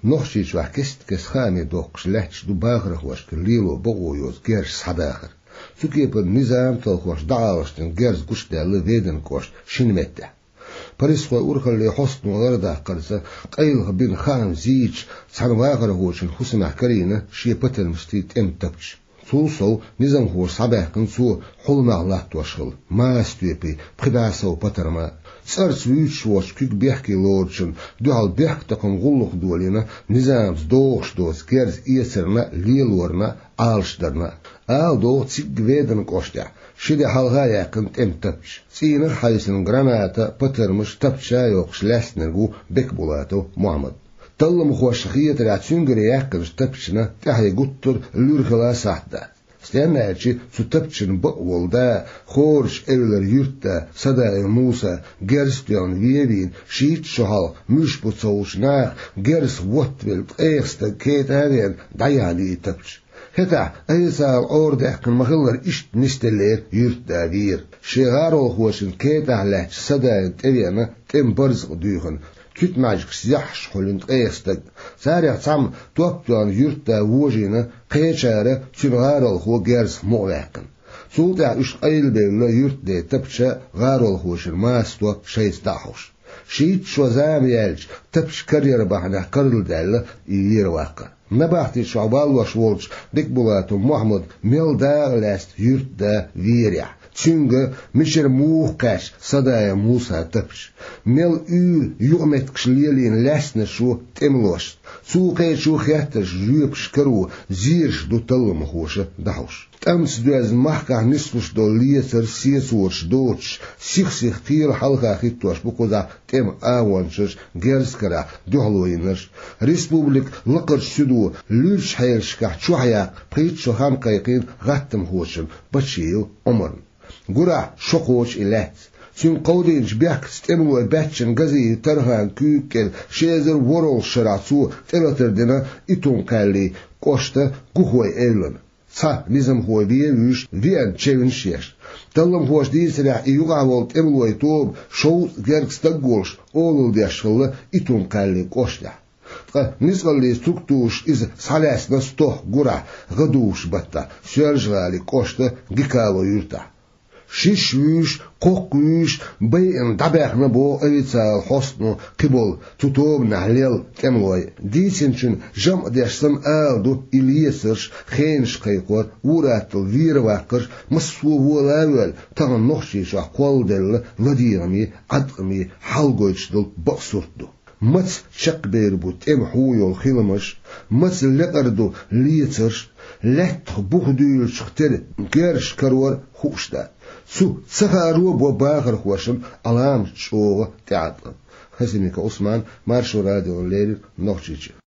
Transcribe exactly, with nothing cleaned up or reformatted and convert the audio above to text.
Нохчийчохь кест-кеста хаамаш доккхуш лаьтташ ду бахархошка лело бакъо йоцу герз схьадахар. Цу кепара низам талхош дӀаалашдина герз гучудаьлла Веданан кӀоштан шина меттехь. Полисхойн урхаллин хьостано лардаккхарца, къайлаха бина хаам зийча, цхьана вахархочун хӀусамехь карийна шен патармашций тӀеман тапча. Цул сов, низамхоша схьабаьхкина цо хьулмах латтош хилла, маса тоьпий, пхи бӀе сов патарма. ЦӀарца вуьйцуш воцчу куьг бехке лоручунна дуьхьал бехктакхаман гӀуллакх долийна низамца догӀуш доцу герз эцарна а, лелорна а, Ӏалашдарна а. Ала догӀу, цигга Веданан кӀоштехь ши де хьалха а яьккхина тӀеман тапча. ЦӀийнах хьаьвсина граната, патармаш тапча чу йоккхуш лаьцнарг ву Бекбулатов Мохьмад. Талламхошна хетарехь, цуьнгара яьккхинчу тапчана тӀаьхье гуттар а луьра хила сахьт дац. Стенна аьлча, цу тапчана бакъ волу да, Хорачу-Эвлара юьртда Садаев Муса, герз а тоьхна вен а вийна, шийтта шо хьалха муьлш бу ца хууш наха герз хӀоттавелла ткъех стаг кетӀа а веана, дӀаяхьна ю и тапча. ХӀетахь, айса ала Ӏора даьккхина ма-хиллара, иштта нисделлера юьртда вер. Шен гӀаролхочун кетӀахь лаьтташ Садаевна тӀевеана тӀеман барзакъ дуьйхина, куьтмаьжгаш зехьаш хуьлина ткъех стаг. Царех цхьамма топ тоьхна юьртда вожийна, кхечара цуьнан гӀаролхо герзах мукъаваьккхина. Цул тӀаьхьа уьш къайлабевлла юьртден тапча, гӀаролхочун маса топ шайца дӀа а хьош. Шийтта шо зама яьлча, тапча карьера бахьанехь карладаьлла и вер ваккхар. Набахти чохь валлош волчу Бекбулатов Мохьмада мел дакъа лаьцна юьртда верехь, цуьнга мичара муха кхаьчна Садаев Мусан тапча, мел уьйр юкъаметтигаш лелийна лаьцнарш ву тӀемалошца, цо кхечу хеттарш жоьпаш каро зераш ду талламхоша дӀахьош. ТӀамца доьзна махкахь нислуш долу лецар, сецораш доцуш, сих-сиха кхела хьалха хӀиттош бу кхузахь тӀеман агӀончаш, герз карахь дуьхьало йинарш. Республикан лакхарчу суьдо луьрачу хьелашкахь чохь яккха пхийтта шо хан кхайкхийна гӀаттамхочун Бачиев Ӏумарна. Гурахь шо кхочу и лаьцна. Цуьнга кховдийначу бехкаца тӀемалой баьччина Газиев Тарханан куьйга кӀел ши эзар ворхӀалгӀачу шарахь цо тӀелатар дина Итум-Кхаьллин кӀоштан Гухой-Эвлана. Цхьа низамхо вен а вуьйш, веана чевнаш а еш. Талламхоша дийцарехь, и юкъахь волу тӀемалойн тоба шовзткъа гергга стаг а волуш, олалла деш хилла Итум-Кхаьллин кӀоштехь. Ткъа ницкъаллин структураша иза схьалаьцна стохка гурахь, гӀадужу баттахь, Соьлжа-ГӀалин кӀоштан Гикалон юьртахь. Шиш вуьйш, кхоккха вуьйш, байина дӀабаьхна боху официалан хьостано кхиболу цу тобанехь лелла тӀемалой. Дийцинчун жамӀ деш санна ала ду, и лецарш, хенаш кхайкхор, ур-атталла вер ваккхарш, массо а вола а воьлла, тахана Нохчийчохь кхолладелла ладегӀамийн, Ӏаткъамийн хьал гойтуш долу бакъ сурт ду. Маца чекхбер бу тӀеман хьу йолу хиламаш, маца лекъар ду лецарш, лаьттах бух дуьйлучух тера герзаш карор хууш дац. Цу ца хааро бо бахархошна Ӏаламат чӀогӀа тӀеӀаткъам. Хасимиков Ӏусман, Маршо радиона леррина, Нохчийчоь.